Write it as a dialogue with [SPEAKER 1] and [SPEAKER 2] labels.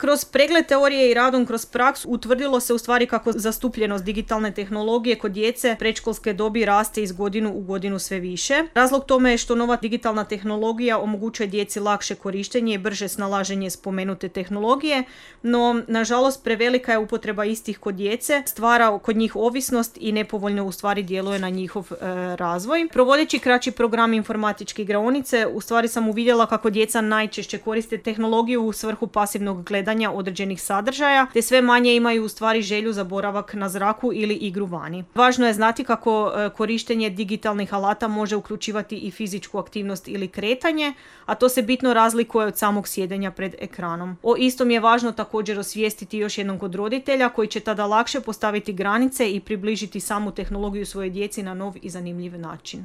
[SPEAKER 1] Kroz pregled teorije i radom kroz praksu utvrdilo se u stvari kako zastupljenost digitalne tehnologije kod djece predškolske dobi raste iz godinu u godinu sve više. Razlog tome je što nova digitalna tehnologija omogućuje djeci lakše korištenje i brže snalaženje spomenute tehnologije, no nažalost prevelika je upotreba istih kod djece, stvara kod njih ovisnost i nepovoljno u stvari djeluje na njihov razvoj. Provodeći kraći program informatičke igraonice, u stvari sam uvidjela kako djeca najčešće koriste tehnologiju u svrhu pasivnog gledanja određenih sadržaja, te sve manje imaju u stvari želju za boravak na zraku ili igru vani. Važno je znati kako korištenje digitalnih alata može uključivati i fizičku aktivnost ili kretanje, a to se bitno razlikuje od samog sjedenja pred ekranom. O istom je važno također osvijestiti još jednom kod roditelja koji će tada lakše postaviti granice i približiti samu tehnologiju svojoj djeci na nov i zanimljiv način.